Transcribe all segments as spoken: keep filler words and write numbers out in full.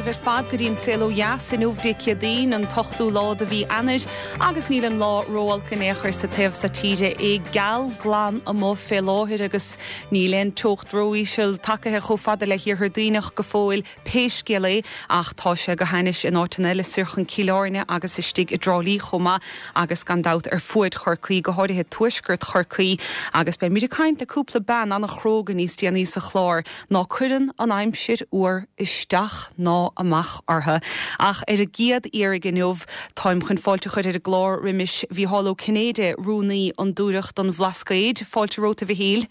romhaibh ar fad go dtí an Saol Ó Dheas inniu Dé Céadaoin an t-ochtú lá de mhí Eanáir agus níl an lá ró-olc in aon chor sa taobh seo tíre é geal glan amuigh fé láthair agus níl aon teocht ró-íseal tagtha chomh fada le hiarthar Duibhneach go fóill pé scéal é ach tá sé go hainnis in áiteanna eile soir chun Cill Airne agus istigh i dTrá Lí chomh maith agus gan dabht ar fuaid Chorcaí go háirithe tuaisceart Chorcaí agus beimid ag caint le cúpla bean an-chróga níos déanaí sa chlár ná cuireann an aimsir fhuar isteach ná amach orthu. Ach ar an gcéad iarraidh inniu táim chun fáilte a chur ar an gclár roimis Mhícheál Ó Cinnéide rúnaí Fhondúireacht an Bhlascaoid, fáilte romhat a Mhichíl.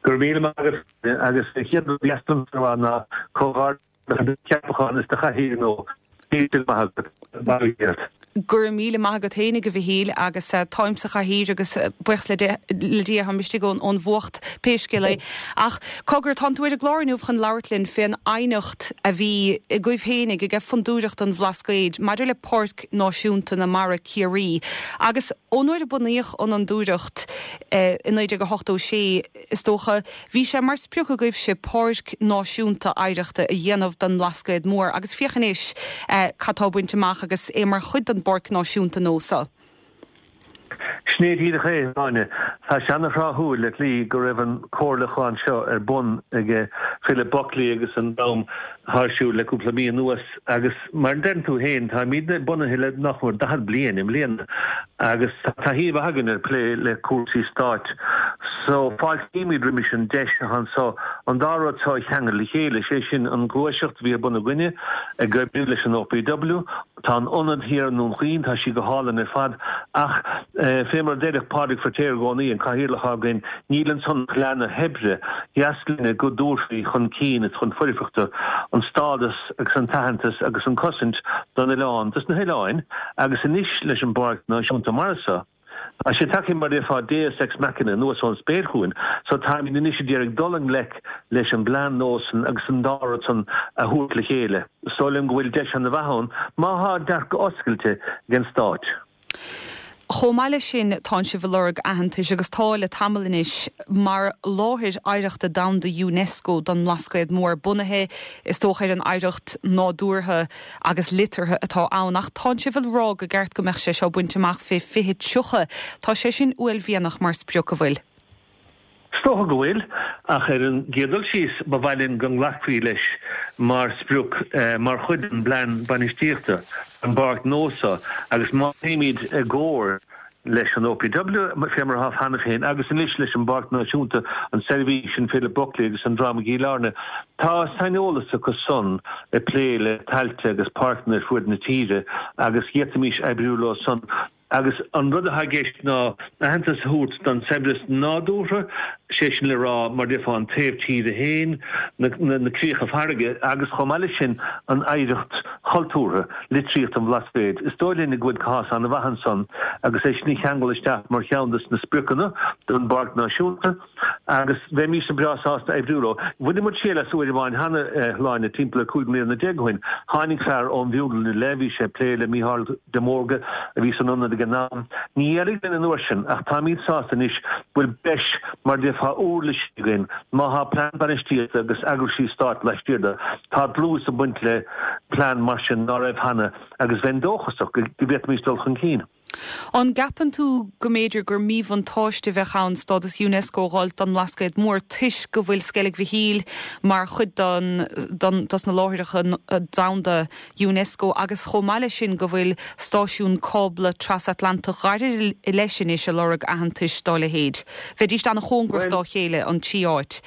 Gur mí agus agus chéad ná ceapachán is do chathaoir nó Gur míle maith agat féinig a Mhichíl agus uh, táim sa chathaoir agus uh, buíochas le Dia táim istigh ón ón bhfuacht pé scéal é. Ach cogar tá tú ar an gclár inniu chun labhairt linn fén aighneacht a bhí agaibh féinig ag Fondúireacht an Bhlascaoid maidir le Páirc Náisiúnta na Mara Ciarraí. Agus ón uair a bunaíodh an fhondúireacht eh, i naoi déag a hochtó sé is dócha, bhí sé mar sprioc agaibhse páirc náisiúnta oidhreachta a dhéanamh den Bhlascaod Mór agus féach anois eh, cad tá bainte amach agus é mar chuid den bpáirc náisiúnta nua seo. Sin é díreach é Áine Tá sé an-thráthúil le slí go raibh an comhairliúchán seo ar bun ag Philip Buckley agus an dream thar siúl le cúpla mí anuas agus mar a deir tú féin táimid bunaithe le nach mór daichead bliain i mbliana agus taithí againn ar plé le cúrsaí stáit. So fáiltímid roimis an deis anseo an dá rud seo a cheangal le chéile sé sin an ghluaiseacht a bhí ar bun againne ag oibriú leis an OPW, Tá an ionad thiar i nDún Chaoin tá sí go hálainn ar fad ach eh, fé mar a deireadh Pádraig Feiritéar i gcónaí an cathaoirleach againn níl ansan ach leath na hoibre dheas linne go dtabharfaí chun cinn is chun foirfeachta an stádas agus an t-aitheantas agus an cosaint don oileán dos na hoileáin agus anois leis an bPáirc Náisiúnta Mara seo. Tá sé tagtha mar a déarfá deus ex machina anuas ón spéir chugainn, so táimid anois ag iarraidh dul i ngleic leis an bplean nua san agus an dá rud san a thabhairt le chéile. Is dóigh liom go bhfuil deis an-mhaith ann má tá dearcadh oscailte ag an stát. Chomh maith leis sin tá sibh ag lorg aitheantais agus tá le tamall anois mar láthair oidhreachta domhanda UNESCO don mBlascaod Mór bunaithe is dócha ar an oidhreacht nádúrtha agus liteartha atá ann ach tá sibh ag rá go gceart go mbeadh sé seo bainte amach fé fiche tríocha Tá sé sin uaillmhianach mar sprioc an bhfuil. Is dócha go bhfuil ach ar an gcéad dul síos ba mhaith linn go nglacfaí leis mar sprioc eh, mar chuid den bplean bainistíochta an bpáirc nua seo agus má théimid i gcomhar leis an OPW fé mar atá cheana féin agus anois leis an bPáirc Náisiúnta an seirbhís sin Philip Buckley agus an dream i gCill Airne. Tá saineolas acu san ag plé le tailte agus páirceanna ar fud na tíre agus d'fhéadfaimis oibriú leo san agus an rud atá i gceist ná aitheantas a thabhairt don saibhreas nádúrtha sé sin le rá mar a déarfá an taobh tíre féin na, na, na críocha farraige agus chomh maith leis sin an oidhreacht chultúrtha litríocht an Bhlascaoid. Is dóigh linn go bhfuil cás an-mhaith ansan agus é sin a cheangal isteach mar cheann de na spriocanna don bPáirc Náisiúnta agus bheimis breá sásta oibriú leo. Bhain muid triail as uair amháin cheana eh, timpeall cúig bliana déag ó shin. Tháinig fear ón bhFionnlainn le bhí sé ag plé le Mícheál de Mórdha a bhí san ionad ag an am. Ní éirigh linn an uair sin ach táimid sásta anois go bhfuil breis mar a déarfá uirlis againn má tá plean bainistíochta agus eagraíochtaí stáit laistiar de tá dlús ag baint le plean mar sin ná raibh cheana agus bheinn dóchasach go bhféadfaimis dul chun cinn. An gceapann tú go mb'fhéidir gur míbhuntáiste a bheadh ann stádas UNESCO a fháil don Bhlascaod Mór toisc go bhfuil Sceilg Mhichíl mar chuid don, don, dos na láithreacha domhanda UNESCO agus chomh maith leis sin go bhfuil stáisiún cábla trasatlantach gairid leis anois ag lorg aitheantais dá leithéid. Bheidís an-chóngarach dá chéile an trí áit.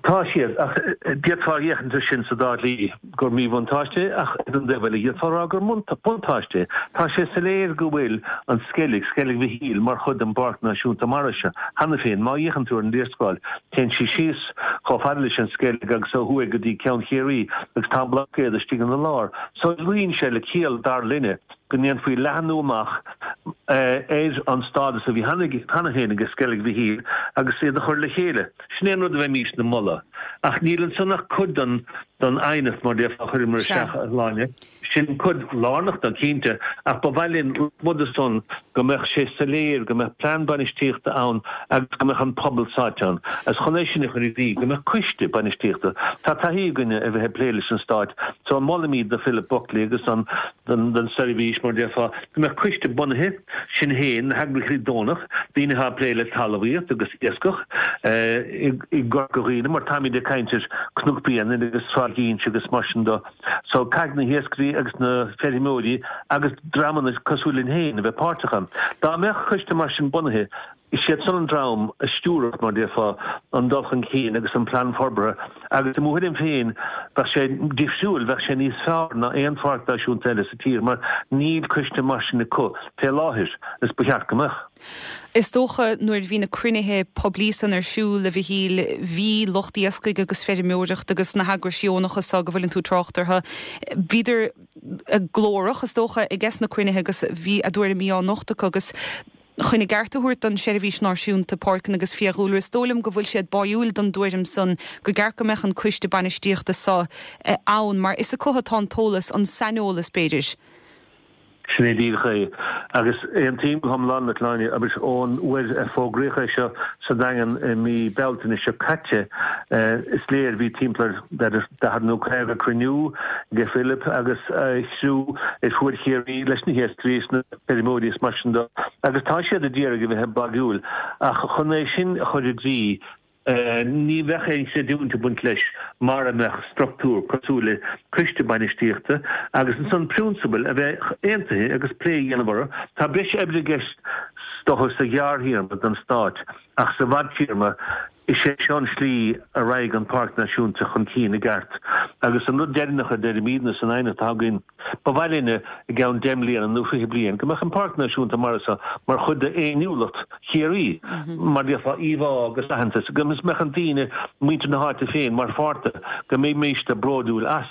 Tá siad ach d'fhéadfá féachaint air sin sa dá shlí gur míbhuntáiste ach ar an dtaobh eile d'fhéadfá rá gur buntáiste. Tá sé soiléir go bhfuil an Sceilg Sceilg Mhichíl mar chuid den bPáirc Náisiúnta Mara seo. Cheana féin má fhéachann tú ar an léarscáil téann sí síos chomh fada leis an Sceilg agus ó thuaidh go dtí Ceann Chiarraí agus tá an Blascaod istigh ina lár. So luíonn sé le ciall dar linne go ndéanfaí leathnú amach ar an stádas a bhí cheana féin ag Sceilg Mhichíl agus iad a chur le chéile. Sin é an rud a bheimísne ag moladh. Ach níl ansan ach cuid den den aighneacht mar déarfá a chuireamar isteach, a Shláine. Sin cuid lárnach de cinnte, ach ba mhaith linn rud san go mbeadh sé soiléir, go mbeadh plean bainistíochta ann agus go mbeadh an pobal sáite ann. Agus chun é sin a chur i gcrích, go mbeadh coiste bainistíochta. Tá taithí againne a bheith ag plé leis an Stát, so molaimid do Philip Buckley agus an den den seirbhís mar déarfá, go mbeadh coiste bunaithe, sinn féin, na heagraíochtaí deonach, daoine atá ag plé le talmhaíocht agus iascach i gCorca Dhuibhne, mar táimid ag caint ar Cnoc Bréanainn agus Sráid Inse agus mar sin de. So caithfidh na hiascairí agus na feirmeoirí agus dreamanna cosúil linn féin a bheith páirteach ann. Dá mbeadh coiste mar sin bunaithe, is iad san an dream a stiúrfadh, mar déarfá, an dul chun cinn agus an plean forbartha agus i mo thuairim féin bheadh sé difriúil, bheadh sé níos fearr ná aon pháirc náisiúnta eile sa tír mar níl coiste mar sin acu fé láthair is ba cheart go mbeadh. Is dócha nuair a bhí na cruinnithe poiblí san ar siúl, a Mhichíl, bhí lucht iascaigh agus feirmeoireachta agus na heagrais dheonacha so go bhfuileann tú ag trácht orthu, bhíodar glórach is dócha ages na cruinnithe agus bhí a dtuairimí á nochtadh acu agus chun a gceart a thabhairt don Seirbhís Náisiúnta Páirceanna agus Fiadhúlra, is dóigh liom go bhfuil siad báúil don dtuairim san go gceart go mbeadh an coiste bainistíochta so ann mar is acu atá an t-eolas, an saineolas b'fhéidir. Sin é díreach é. Agus aontaím go hiomlán leat, a Shláine, agus ón uair a fógraíodh é seo sa Daingean i mí Bealtaine seo caite, is léir, bhí timpeall ar b'fhéidir daichead nó caoga cruinniú ag Philip agus a chriú ar fuaid Chiarraí leis na hiascairí is na feirmeoirí is mar sin de agus tá siad a d'iarraidh a bheith báúil ach chun é sin a chur i gcrích ní bheadh aon chreidiúint ag baint leis mara mbeadh struchtúr cosúil le coiste bainistíochta agus ansan prionsabail a bheith aontaithe agus plé a dhéanamh orthu. Tá breis oibre i gceist is dócha sa ghearrthéarma don Stát ach sa bhfadtéarma is é seo an slí a raghaidh an Páirc Náisiúnta chun cinn i gceart. Agus an rud deireanach a deirimidne san aighneacht atá againn, ba mhaith linne i gceann deich mbliana nó fiche bliain go mbeadh an Páirc Náisiúnta Mara seo mar chuid d'fhéiniúlacht Chiarraí, mar déarfá íomhá agus aitheantas, go mbeadh an daoine, muintir na háite féin mar pháirt de, go mbeimísne bródúil as.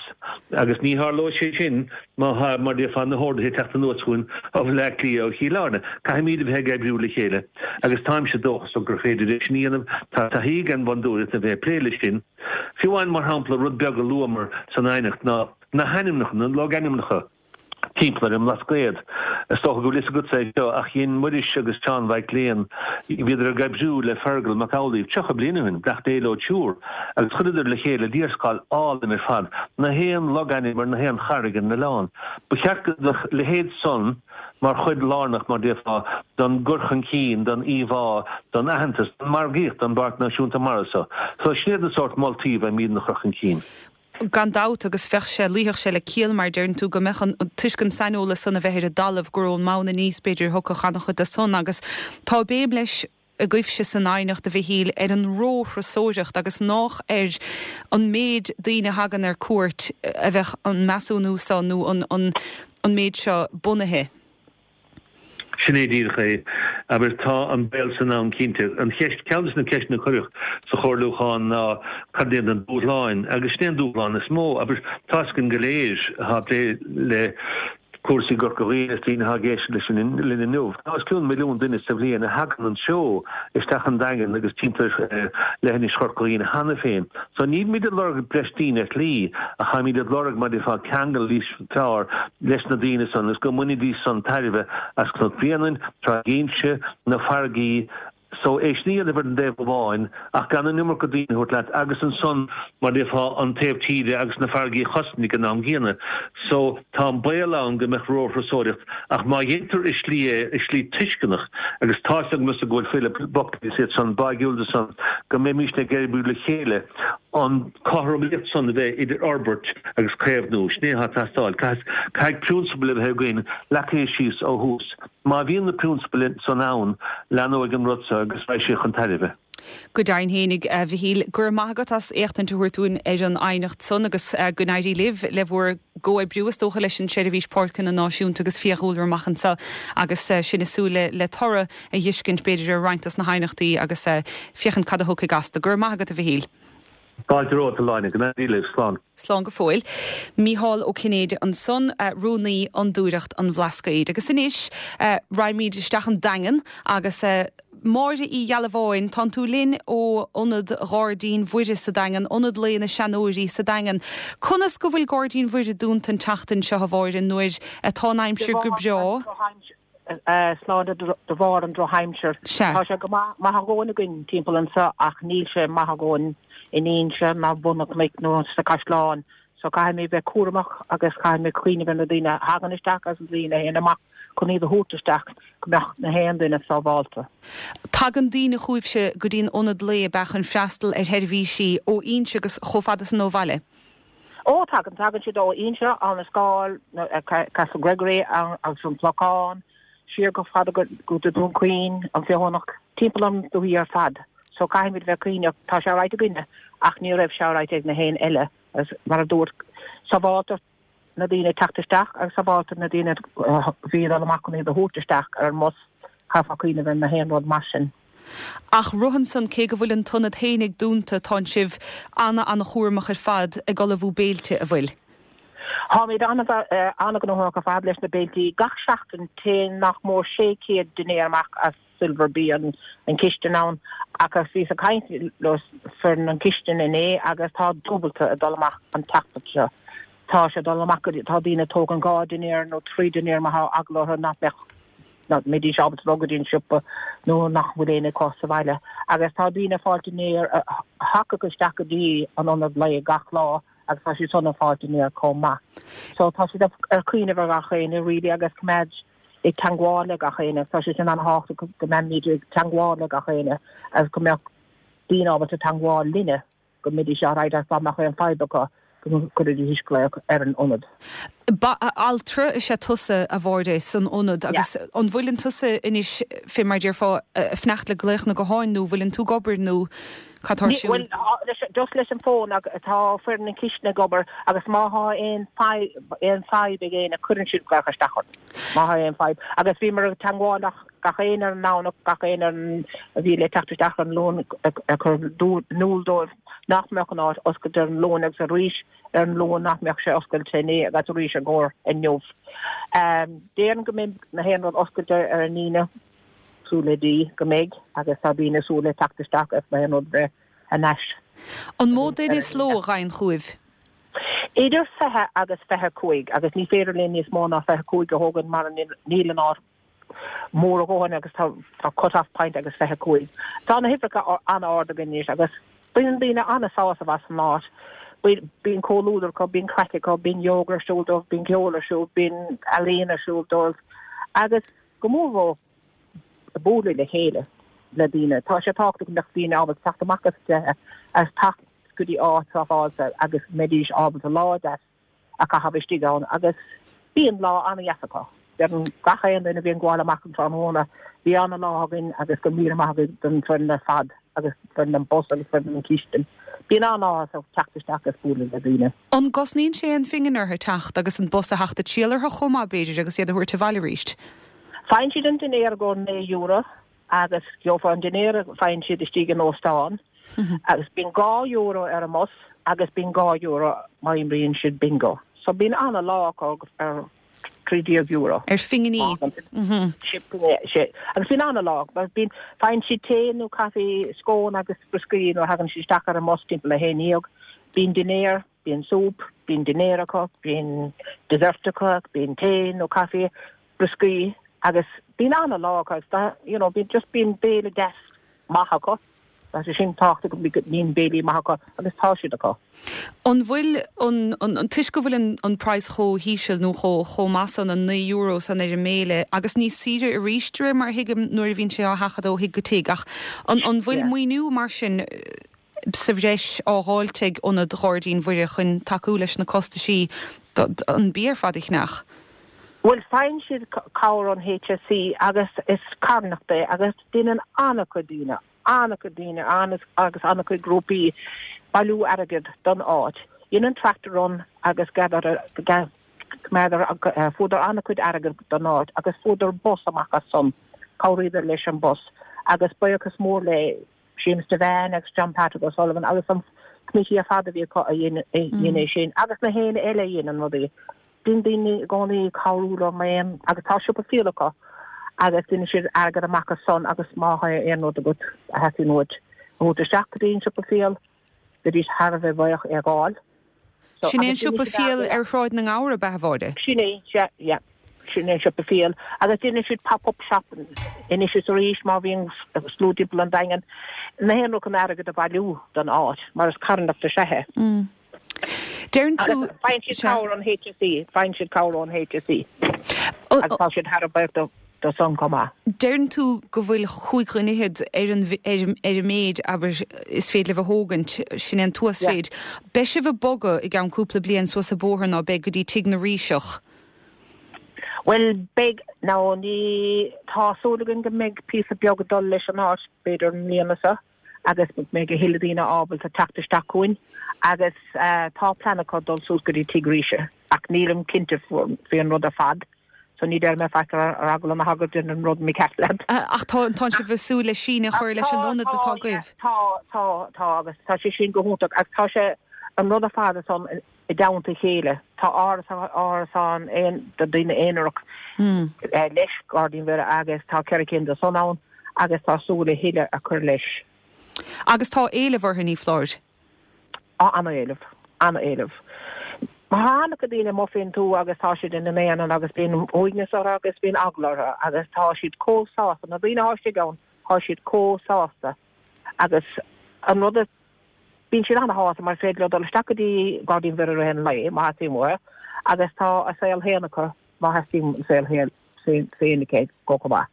Agus ní tharlóidh sé sin má tá, mar déarfá, na horduithe ag teacht anuas chugainn ó Bhaile Átha Cliath, ó Chill Airne. Caithfimid a bheith ag oibriú le chéile agus táimse dóchasach gur féidir é sin a dhéanamh. Tá taithí ag an bhFondúireacht a bheith ag plé leis sin. Fiú amháin, mar shampla, rud beag a luamar san aighneacht ná na hainmneacha, na logainmneacha timpeall ar an mBlascaod. Is dócha go bhfuil fhios agatsa é seo, ach dhein Muiris agus Seán Mhaidhc Léan, bhíodar ag oibriú le Fergal Mac Amhlaoibh tríocha bliain ó shin, gach dé leo triúr, agus chuireadar le chéile léarscáil álainn ar fad, na haon logainm ar na haon charraig ar an oileán. Ba cheart go mbeadh a leithéid san mar chuid lárnach, mar déarfá, don gcur chun cinn, don íomhá, don aitheantas, don margaíocht don bPáirc Náisiúnta Mara seo. So sin iad na sórt moltaí a bheimídne a chur chun cinn. Gan dabht, agus bheadh sé, luífeadh sé le ciall, mar deireann tú, go mbeadh an, toisc an saineolas san a bheith ar an dtalamh, gur ón mbonn aníos, b'fhéidir, a thiocfadh an-chuid de san. Agus tá béim leis agaibhse san aighneacht, a Mhichíl, ar an róthurasóireacht agus nách ar an méid daoine a thagann ar cuairt a bheadh an measúnú seo nó an, an, an méid seo bunaithe. Sin é díreach é. Abair, tá an baol san ann cinnte. An cheist, ceann de na ceisteanna a cuireadh sa chomhairliúchán ná cad iad na dúshláin, agus sin é an dúshlán is mó. Abair, tá's againn go léir atá ag plé le cúrsaí i gCorca Dhuibhne is daoine atá ag éisteacht leis linn inniu, tá os cionn milliún duine sa bhliain a thagann anseo isteach an Daingean agus timpeall ar leithinis Chorca Dhuibhne cheana féin. So nílimid ag lorg breis daoine ar shlí, ach táimid ag lorg mar déarfá ceangal níos fearr leis na daoine san is go mbainfidís san tairbhe as Cnoc Bréanainn, Tráigh Inse, na farraigí so é sin a dhéanamh ar an dtaobh amháin ach gan an iomarca daoine a thabhairt leat agus ansan mar déarfá an taobh tíre agus na farraigí a chosaint ag an am gcéanna. So tá an baol ann go mbeadh róthurasóireacht ach má dhéantar i slí é, i slí tuisceanach agus tá's agamsa go bhfuil Philip Buckley is iad san báúil de san go mbeimísne ag oibriú le chéile an chothromaíocht san a bheith idir fhorbairt agus caomhnú, sin é atá ag teastáil. Caithfidh prionsabail a bheith againn leagtha síos ó thús. Má bhíonn na prionsabail san ann, leathnóidh an rud seo agus beidh sé chun tairbhe. Go deimhin fhéinig, a Mhichíl, go raibh maith agat as éachtaint a thabhairt dúinn ar an aighneacht san agus go n-éirí libh le bhur gcomhoibriú is dócha leis an Seirbhís Páirceanna Náisiúnta agus Fiadhúlra amach anseo agus sinn ag súil le toradh a dh'fheiscint b'fhéidir ar roinnt dos na haighneachtaí agus féachaint cad a thiocfaidh astu. Go raibh maith agat, a Mhichíl. Fáilte romhat, a Shláine, go n-éirí libh, slán. Slán go fóill. Mícheál Ó Cinnéide ansan, Rúnaí Fhondúireacht an Bhlascaoid. Agus anois raghaimid isteach an Daingean agus Máire Uí Ghealbháin, tánn tú linn ó Ionad Ghairdín Mhuire sa Daingean, Ionad Lae na Seanóirí sa Daingean. Conas go bhfuil Gairdín Mhuire dúnta an tseachtain seo, a Mháire, nuair atá an aimsir go breá? Slán de bharr an drochaimsir. Tá sé go maith a dhóthain againn timpeall anseo ach níl sé maith a dhóthain in Inse ná Bun an Chnoic nó sa Chaisleán. So caithfimid bheith cúramach agus caithfimid cuimhneamh ar na daoine a thagann isteach agus na daoine a théann amach chun iad a thabhairt isteach go mbeadh na haon duine sábháilte. Tagann daoine chugaibhse go dtí an ionad lae ab ea chun freastal ar sheirbhísí ó Inse agus chomh fada san ó bhaile? Ó tagann, tagann siad ó Inse, Abhainn an Scáil, Castlegregory agus an Clochán, siar go fada go dtí Dún Chaoin, an Feothanach, timpeall an dúiche ar fad. So caithfimid bheith cuimhneach, tá sé alright againne ach ní raibh sé alright ag na haon eile agus mar a dúirt, sábháilteacht na daoine ag teacht isteach agus sábháilteacht na daoine a bhí ag dul amach chun iad a thabhairt isteach ar an mbus, chaithfeá cuimhneamh ar na haon rud mar sin. Ach romhan san, cé go bhfuil an t-ionad fhéinig dúnta, tánn sibh ana-ana-chúramach ar fad ag ullmhú béilte, a' bhfuil? Táimid an-ghnóthach ar fad leis na béiltí. Gach seachtain téann nach mór sé chéad dinnéar amach as Silver Bee, an chistin ann, agus bhíos ag caint le foireann an chistin inné agus tá dúbalta ag dul amach an tseachtain seo. Tá sé ag dul amach go dtí, tá daoine ag tógaint dhá dinnéar nó trí dinnéar má tá eagla orthu nach mbeadh, nach mbeidís ábalta dul go dtí an siopa nó nach bhfuil éinne acu sa bhaile. Agus tá daoine ag fáilt dinnéar a thagadh isteach go dtí an ionad lae gach lá agus tá siad san ag fáilt dinnéar chomh maith. So tá siad ar cuimhneamh ar gach éinne really agus coimeád ag teangmháil le gach éinne. Tá sé sin an-thábhachtach go mbeimid ag teangmháil le gach éinne agus go mbeadh daoine ábalta teangmháil linne go mbeidís alright agus dá mbeadh aon fadhb acu go gcuirfidís glaoch ar an ionad. Ba altra is ea tusa, a Mháire, san ionad agus an bhfuileann tusa anois, fé mar a déarfá, ag fanacht le glaochanna gutháin nó bhfuileann tú ag obair nó cad tá ar siúl? Bhuel, just leis an bhfón tá foireann an chistin ag obair agus má thá aon aon fadhb ag éinne cuireann siad glaoch isteach orainn má thá aon fadhb. Agus bhíomar ag teangmháil le gach éinne ar an nDomhnach, gach éinne a bhí le teacht isteach ar an Luan ag cur in iúl dóibh nach mbeadh an áit oscailte ar an Luan agus arís ar an Luan nach mbeadh sé oscailte inné agus arís i gcomhair inniu. Déarfainn go mbeidh na haon rud oscailte ar an Aoine, súil le Dia go mbeidh agus tá daoine ag súil le teacht isteach agus na haon rud bheith thar n-ais. An mó duine sa ló a ghabhann chugaibh? Idir fiche agus fiche cúig agus ní féidir linn níos mó ná fiche cúig a thógaint mar níl an áit mór a dhóthain agus tá tá cut off point agus fiche cúig. Tá na huimhreacha an-ard againn anois agus baineann daoine an-sásamh as an áit. Bíonn comhluadar acu, bíonn craic acu, bíonn yoga ar siúl dóibh, bíonn ceol ar siúl, bíonn ealaín ar siúl dóibh agus go mór mhór bualadh le chéile le daoine. Tá sé tábhachtach go mbeadh daoine ábalta teacht amach as a dtithe agus teacht go dtí áit sábháilte agus go mbeidís ábalta lá deas a chaitheamh istigh ann agus bíonn lá an-dheas acu. Deireann gach aon duine a bhíonn ag gabháil amach an tráthnóna, bhí an-lá againn agus go míle maith agaibh don foireann ar fad agus foireann an bus agus foireann an chistin. Bíonn an-áthas orthu teacht isteach agus bualadh le daoine. An gcosnaíonn sé aon phingin orthu teacht agus an bus a theacht ag triall orthu chomh maith, b'fhéidir, agus iad a thabhairt abhaile arís? Faigheann siad an dinnéar i gcomhair naoi euro agus gheofar an dinnéar a faigheann siad istigh in óstán agus bíonn dhá euro ar an mbus agus bíonn dhá euro má imríonn siad bingo. So bíonn an-lá acu ar trí déag euro. Ar phinginí. Agus bíonn an-lá acu. Bíonn, faigheann siad tae nó caife, scón agus brioscaí nuair a thagann siad isteach ar an mbus timpeall a haon dhéag. Bíonn dinnéar, bíonn súp, bíonn dinnéar acu, bíonn dessert acu, bíonn tae nó caife, brioscaí agus bíonn an-lá acu agus tá, you know, bíonn just bíonn béile deas maith acu. Tá sé sin tábhachtach go mbíonn béilí maith acu agus tá siad acu. An bhfuil an, an, toisc go bhfuil an, an praghas chomh híseal nó chomh, chomh maith san, an naoi euro san ar an mbéile agus níos saoire arís de réir mar a thuigim nuair a bhíonn sé á sheachadadh ó thigh go tigh ach an, an bhfuil maoiniú mar sin sa bhreis á dháilt ag Ionad Ghairdín Mhuire chun tacú leis na costaisí an bia ar fad a cheannach? Bhuel, faigheann siad cabhair ón H S E agus is carthanacht é agus déanann an-chuid daoine, an-chuid daoine agus an-chuid grúpaí bailiú airgead don áit. Dhein an Tractor Run agus fuaireadar an-chuid airgead don áit agus fuaireadar bus amach as san, chabhraíodar leis an bus agus buíochas mór le Seamus Devane agus John Patrick O'Sullivan agus an committee ar fad a bhí acu a dhein é sin agus na héinne eile a dhéanann rudaí. Bíonn daoine i gcónaí ag cabhrú leo mar aon agus tá siopa fial acu agus déanann siad airgead amach as san agus má tá aon rud agat a theastaíonn uait a thabhairt isteach go dtí an siopa fial, bheidís thar a bheith buíoch é a fháil. Sin é an siopa fial ar Shráid na nGabhar, ab ea, a Mháire? Sin é, sea, yeah. Sin é an siopa fial. Agus déanann siad pop-up shop anois is arís má bhíonn slua timpeall an Daingean. Na haon rud chun airgead a bhailiú don áit, mar is carthanacht is ea é. Deireann tú. Agus faigheann siad cabhair ón HSE, faigheann siad cabhair ón HSE. Agus tá siad thar a bheith buíoch dó san chomh maith. Deireann tú go bhfuil chúig dhuine fhichead ar an ar an méid, abair, is féidir libh a thógaint, sin é an t-uasmhéid. Beidh sibh ag bogadh i gceann cúpla bliain suas an bóthar ná beidh go dtí Tigh na Ríseach? Bhuel, beidh, nó ní, tá súil againn go mbeidh píosa beag ag dul leis an áit, b'fhéidir i mbliana seo, agus go mbeidh a thuilleadh daoine ábalta teacht isteach chugainn agus tá plean acu dul suas go dtí Tigh Ríse ach nílim cinnte faoin rud ar fad. So ní deir mé faic ar eagla na heagla déanamh an rud mícheart leat. Ach tá tá sibh ag súil le síneadh a chur leis an ionad atá agaibh? Tá, tá, tá agus tá sé sin go hiontach agus tá sé an rud ar fad ansan i dteannta a chéile. Tá árasán aon do daoine aonarach leis, Gairdín Mhuire agus tá ceithre cinn de san ann agus tá súil a thuilleadh a chur leis. Agus tá éileamh orthu, ní foláir? Á, an-éileamh, an-éileamh. Má tá an-chuid daoine amuigh fén tuath agus tá siad ina n-aonar agus bíonn uaigneas orthu agus bíonn eagla orthu agus tá siad chomh sásta, na daoine atá istigh ann, tá siad chomh sásta agus an rud a, bíonn siad ana-shásta mar is féidir leo dul isteach go dtí Gairdín Mhuire i rith an lae má theastaíonn uathu agus tá a saol féin acu má theastaíonn an saol féin acu go chomh maith.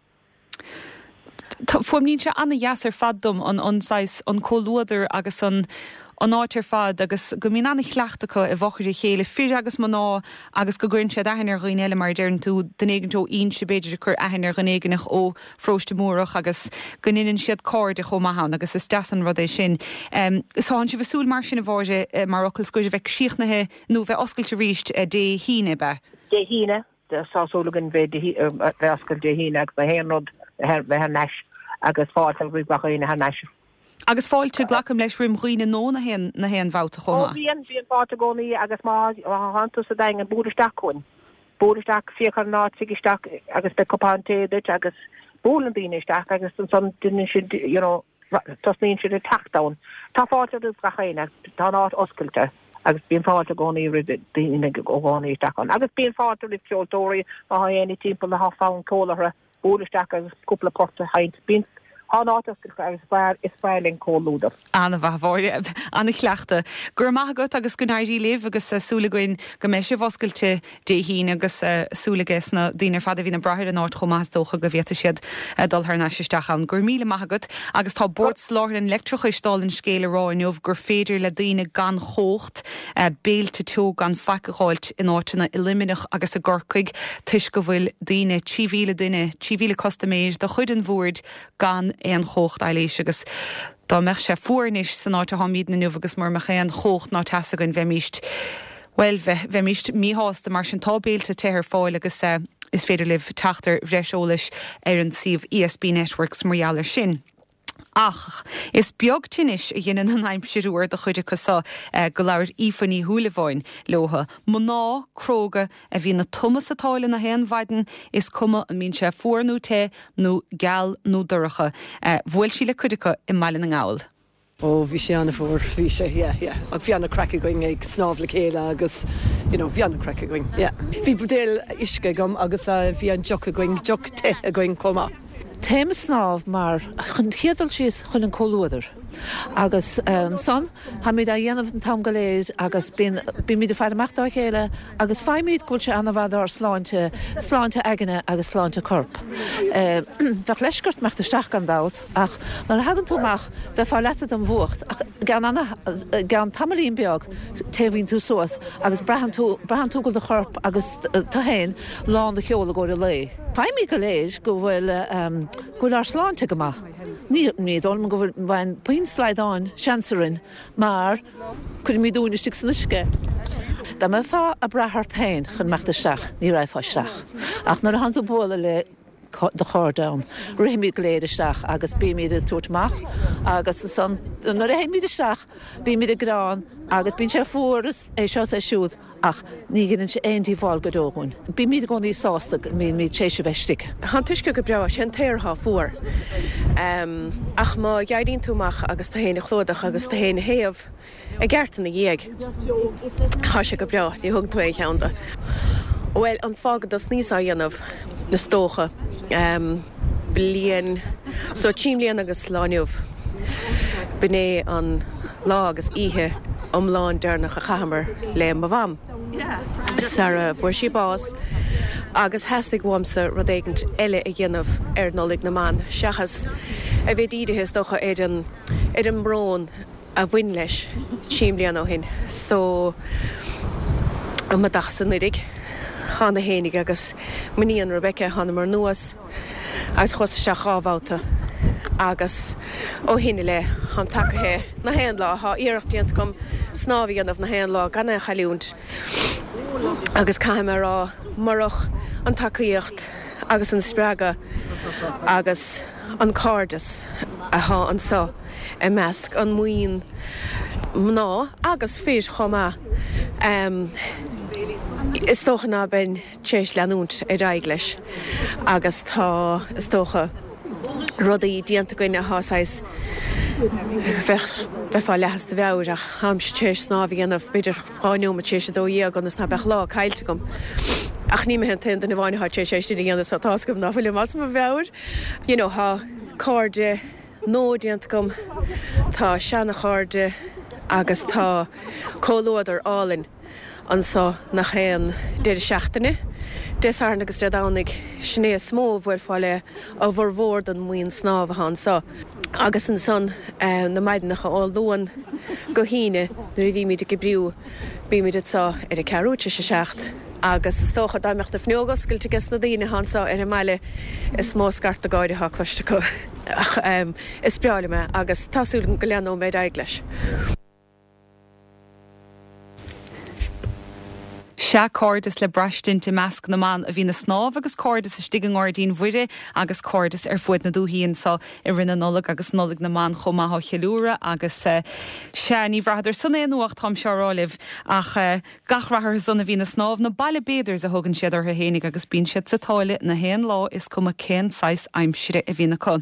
Fuaimníonn sé ana-dheas ar fad dom an an saghas, an comhluadar agus an an áit ar fad agus go mbíonn ana-chleachtadh acu i bhfochair a chéile, fir agus mná agus go gcuireann siad aithne ar dhaoine eile mar a deireann tú, duine éigint ó Inse b'fhéidir ag cur aithne ar dhuine éigineach ó Pharóiste Múrach agus go ndeineann siad cairde chomh maith ann agus is deas an rud é sin. Tánn sibh ag súil mar sin a Mháire mar fhocal scoir a bheith críochnaithe nó bheith oscailte arís Dé hAoine, ab ea? Dé hAoine. Tá súil againn bheith bheith oscailte Dé hAoine agus na haon rud bheith thar n-ais agus fáilte roimh gach éinne thar n-ais. Agus fáilte, glacaim leis, roim dhaoine nó na haon na haon bhabhta chomh Ó maith. bhíonn, bíonn fáilte i gcónaí agus má thánn tú sa Daingean, buail isteach chugainn. Buail isteach, féach ar an áit, tig isteach agus beidh cupán tae duit agus buaileann daoine isteach agus ansan déanann siad, you know, tosnaíonn siad ag teacht ann. Tá fáilte roimh gach éinne, tá an áit oscailte agus bíonn fáilte i gcónaí roimh daoine i gcónaí isteach ann. Agus bíonn fáilte roimh ceoltóirí, má tá éinne timpeall atá fonn ceoil orthu, buail isteach agus cúpla port a sheinnt. Bíonn, tá an áit oscailte agus is fearr, is fearr linn comhluadar. Ana-mhaith, a Mháire. Ana-chleachtadh. Go raibh maith agat agus go n-éirí libh agus súil againn go mbeidh sibh oscailte Dé hAoine agus súil aige na daoine ar fad a bhíonn ag brath ar an áit chomh maith is dócha go bhféadfaidh siad dul thar n-ais isteach ann. Go raibh míle maith agat agus tá Bord Soláthair an Leictreachais dála an scéil ag rá inniu gur féidir le daoine gan chumhacht béilte teo gan faic a dh'fháilt in áiteanna i Luimneach agus i gCorcaigh toisc go bhfuil daoine, trí mhíle duine, trí mhíle custaiméir de chuid an Bhoird gan aon chumhacht aibhléis agus dá mbeadh sé fuar anois san áit atáimidne inniu agus mura mbeadh aon chumhacht ná teas againn bheimíst, bhuel, bheimíst míshásta. Mar sin tá béilte te ar fáil agus is féidir libh teacht ar bhreis eolais ar an suíomh ESB Networks mar gheall air sin. Ach is beag tinnis a dheineann an aimsir fhuar do chuid acu so go labhair Aoife Ní Shúilleabháin leotha. Mná cróga a bhíonn ag tumadh sa tsáile na haon mhaidin, is cuma an mbíonn sé fuar nó te, nó geal nó dorcha. Bhuail sí le cuid acu i mBaile na nGall. Ó, bhí sé an-fhuar, bhí sé, yeah, yeah. Ach bhí an-craic againn ag snámh le chéile agus, you know, bhí an-craic againn, yeah. Bhí buidéal uisce agam agus bhí an deoch againn, deoch te againn chomh maith. Téim ag snámh mar, chun chéad dul síos, chun an comhluadar. Agus ansan, táimid á dhéanamh an t-am go léir agus bíonn, bímid ag faire amach dá chéile agus faighimid go bhfuil sé an-mhaith dár sláinte, sláinte aigne agus sláinte coirp. Bheadh leisce ort imeacht isteach gan dabht ach nuair a thagann tú amach bheifeá leata den bhfuacht ach i gceann ana, i gceann tamaillín beag téamhaíonn tú suas agus braitheann tú, braitheann tú go bhfuil do chorp agus tú féin lán de cheol i gcomhair an lae. Faighimid go léir go bhfuil, go bhfuil ár sláinte go maith. Ní, ní dóigh liom go bhfuil, bhfuil puinn slaghdáin seans orainn mar cuirimid uainn istigh san uisce. Dá mbeifeá ag brath ort féin chun imeacht isteach, ní raghfá isteach. Ach nuair a thánn tú ag bualadh le do chairde ann. Rithimid go léir isteach agus bímid ag tabhairt amach agus ansan nuair a théimid isteach bímid ag gearán agus bíonn sé fuar is é seo is é siúd ach ní dhéanann sé aon díobháil go deo dhúinn. Bímid i gcónaí sásta go mbímid tar éis a bheith istigh. Tá an t-uisce go breá, sé an t-aer atá fuar. Ach má éiríonn tú amach agus tú féin a chlúdach agus tú féin a théamh i gceart ina dhiaidh, tá sé go breá, ní thugann tú aon cheann de. Bhuel, an fáth go dtosnaíos á dhéanamh, is dócha, bliain, so trí mbliana agus lá inniu, b'in é an lá agus oíche iomlán deireanach a chaitheamar le mo mham sara bhfuair sí bás agus theastaigh uaimse rud éigint eile a dhéanamh ar Nollaig na mBan seachas a bheith dírithe is dócha ar an ar an mbrón a bhain leis trí mbliana ó shin. So um mo dachas anuraidh thána fhéinig agus m'iníon Rebecca thánamar anuas agus chuas isteach dhá bhabhta agus ó shin i leith táim tagaithe na haon lá. Tá iarracht déanta agam snámh a dhéanamh na haon lá gan é a chailliúint agus caithfidh mé a rá murach an tacaíocht agus an spreagadh agus an cairdeas atá anseo i measc an mbuíon mná agus fir chomh maith is dócha ná beinn tar éis leanúint ar aghaidh leis agus tá is dócha rudaí déanta againn atá saghas bheadh bheifeá leath as do mheabhair ach táimse tar éis snámh a dhéanamh b'fhéidir dhá neomat tar éis a dó dhéag ionas ná beadh lá caillte agam. Ach ní mé an t-aon duine amháin atá tar éis é sin a dhéanamh so tá's agam ná fuilim as mo mheabhair. You know tá cairde nua déanta agam, tá seana-chairde agus tá comhluadar álainn anso nach aon deireadh seachtaine, Dé Sathairn agus Dé Domhnaigh, sin é is mó a bhuailfeá le a bhformhór den mbuíon snámha atá anso. Agus ansan na maidineacha ó Luan go hAoine nuair a bhímid ag oibriú, bímid anso ar a ceathrú tar éis a seacht agus is dócha dá mbeadh na fuinneoga oscailte ages na daoine atá anso ar an mbaile is mó scarta gáire atá cloiste acu. Ach is breá liom é agus tá súil agam go leanóidh mé ar aghaidh leis. Sea, cairdeas le braistint i measc na mban a bhíonn ag snámh agus cairdeas istigh i nGairdín Mhuire agus cairdeas ar fuaid na dúthaí anso i rith na Nollag agus Nollaig na mBan chomh maith á cheiliúradh agus sea, ní bhraitheadar san aon fhuacht, táimse á rá libh, ach gach rath orthu san a bhíonn ag snámh, na Baile Bathers a thugann siad orthu fhéinig agus bíonn siad sa tsáile na haon lá is cuma cén saghas aimsire a bhíonn acu.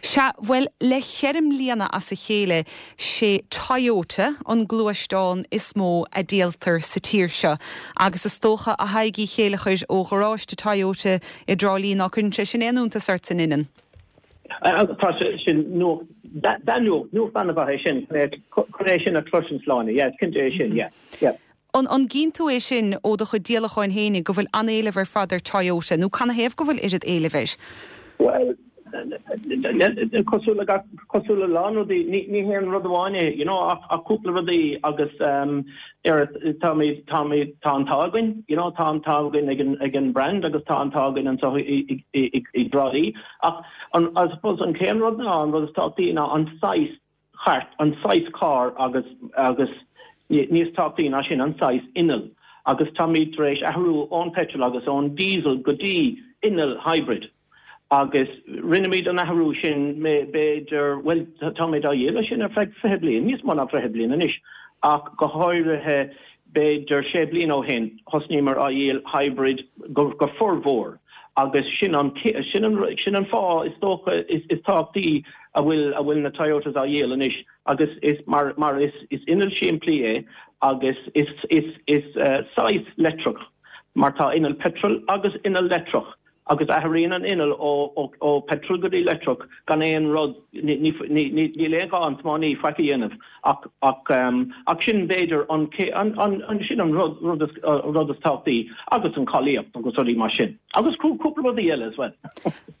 Sea, bhuel, le ceithre mbliana as a chéile, sé Toyota an gluaisteán is mó a díoltar sa tír seo agus is dócha a Thaidhg Uí Chéilleachair ó gharáiste Toyota i dTrá Lí ná cuireann sé sin aon iontas ort a Fhinghin. Tá sé sin nuacht, nuacht, nuacht an-mhaith é sin, chun é sin a chloisint Sláine, yeah, is cinnte é sin, yeah, yeah. An an gcíonn tú é sin ó do chuid díolacháin fhéinig go bhfuil an-éileamh ar fad ar Toyota nó canathaobh go bhfuil oiread éilimh air? Bhuel, cosúil le gach, cosúil le lán rudaí, ní, ní haon rud amháin é, you know, ach, ach cúpla rudaí agus um, ar, táimid, táimid, tá an t-ádh againn, you know, tá an t-ádh againn ag an, ag an brand agus tá an t-ádh againn anseo i, i, i, i, i dTrá Lí. Ach an, I suppose an chéad rud ná, an rud is tábhachtaí ná an saghas chairt, an saghas carr agus, agus níos tábhachtaí ná sin, an saghas inneall. Agus táimid tar éis athrú ón petrol agus ón diesel go dtí inneall hybrid. Agus rinnemid an athrú sin b'fhéidir, bhuel, táimid á dhíol sin ar feadh fiche bliain, níos mó ná fiche bliain anois, ach go háirithe b'fhéidir sé bliana ó shin, thosnaíomar á dhíol hybrid go, go formhór. Agus sin an, sin an, sin an fáth is dócha is, is tábhachtaí a bhfuil, a bhfuil na Toyotas á dhíol anois agus is mar, mar is, is inneall simplí é agus is, is, is uh, saghas leictreach mar tá inneall petrol agus inneall leictreach agus athraíonn an inneall ó, ó, ó petrol go dtí leictreach gan aon rud, níl aon ghá an tiománaí faic a dhéanamh ach, ach, um, ach sin b'fhéidir an, an, an, an, sin an rud, rud, is, uh, rud is tábhachtaí agus an cáilíocht agus rudaí mar sin. Agus cúpla rudaí eile as well.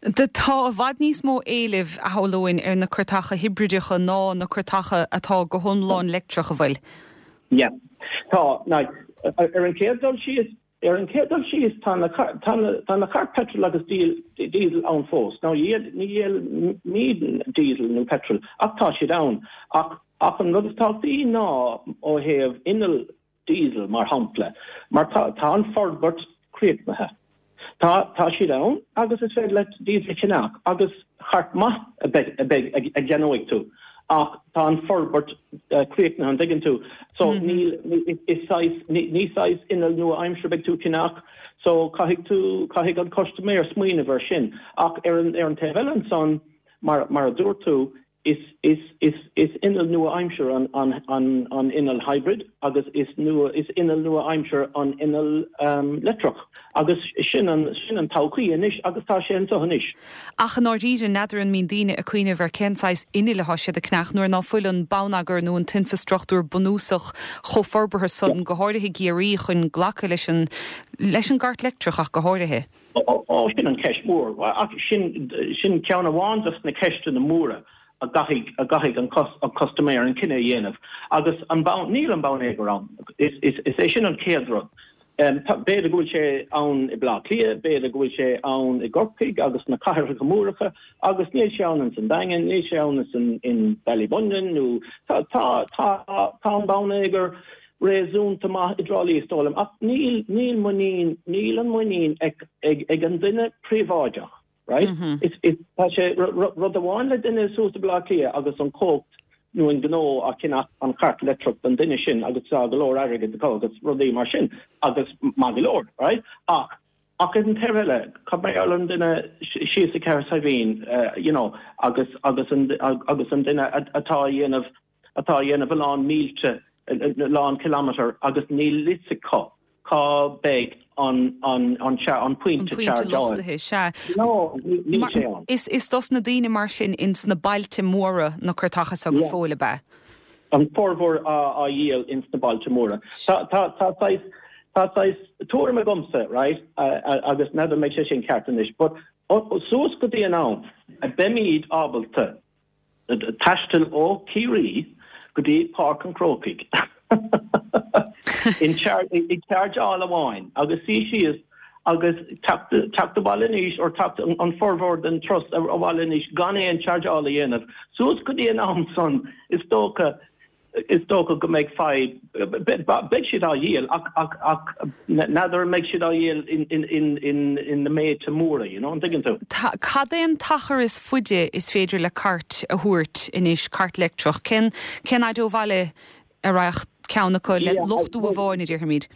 De tá i bhfad níos mó éilimh a shamhlóinn ar na cairteacha hibrideacha ná na cairteacha atá go hiomlán leictreach a bhfuil. Yeah. Tá, now, ar an chéad dul síos, Ar an chéad dul síos, tá na tá na tá na cairr petrol agus diesel ann fós. Now ní dhíolaimid diesel nó petrol ach tá siad ann. Ach ach an rud is tábhachtaí ná ó thaobh inneall diesel mar shampla, mar tá tá an forbairt críochnaithe. Tá tá siad ann agus is féidir leat iad a cheannach agus cairt maith a bheidh a bheidh a cheannóidh tú ach tá an forbairt críochnaithe an dtuigeann tú so níl is saghas ní saghas inneall nua-aimseartha beidh tú ceannach so caithfidh tú caithfidh an custaiméir smaoineamh ar sin ach ar an ar an taobh eile ansan mar mar a dúirt tú is is is is inneall nua-aimseartha an an an an inneall hybrid agus is nua is inneall nua-aimseartha an inneall um, leictreach agus sin an sin an todhchaí anois agus tá sé anseo anois. Ach an áiríre n'fheadar an mbíonn daoine ag cuimhneamh ar cén saghas innill atá siad ag ceannach nuair ná fuil an bonneagar nó an t-infreastruchtúr bunúsach chomh forbartha san go háirithe i gCiarraí chun glacadh leis an leis an gcairt leictreach ach go háirithe. Ó sin an ceist mór ach sin sin ceann amháin dos na ceisteanna móra. a gcaithfidh a gcaithfidh an an custaiméir an cinneadh a dhéanamh agus an bonn níl an bonneagar ann is is is é sin an chéad rud. Um, B'fhéidir go bhfuil sé ann i Bleá Cliath, b'fhéidir go bhfuil sé ann i gCorcaigh agus na cathracha móra agus níl sé ann san Daingean, níl sé ann san in Ballybunion nó tá tá tá tá an bonneagar réasúnta maith i dTrá Lí is dóigh liom ach níl níl muinín níl an muinín ag ag ag an duine príobháideach right? Mm -hmm. Is is tá sé rud amháin le duine suas i Bleá Cliath agus an cócht nó an gnó a cheannach an chairt leictreach don duine sin agus tá go leor airgead acu agus rudaí mar sin agus maith go leor, right? Ach ach an taobh eile cad mar an duine síos i Ceathrú Saidhbhín uh, you know, agus agus an agus an duine atá dhéanamh atá dhéanamh a lán mílte lán kilometer agus níl a fhios acu cá mbeidh an an an an pointe sea. Is is dos na daoine mar sin ins na bailte móra na cairteacha seo go fóill ab ea. An formhór á dhíol ins na bailte móra. Tá tá tá tuairim agamsa right agus n'fheadar an mbeidh sé sin ceart anois, but suas go dtí an am a beimid ábalta taisteal ó Ciarraí go dtí Páirc an Chrócaigh. in i chargeáil amháin agus suí síos agus teacht abhaile anois or teacht an formhór den turas abhaile anois gan aon chargeáil a dhéanamh. Suas go dtí an am san is dócha is dócha go mbeidh fadhb beidh siad á dhíol ach ach ach n'fheadar mbeidh siad á dhíol in in in in in na méide móra, you know, an dtuigeann tú. Cad é an t-achar is faide is féidir le cairt a thabhairt anois cairt leictreach cén cén fhad ó bhaile a raghadh ceann acu le luchtú amháin a déarfaimid.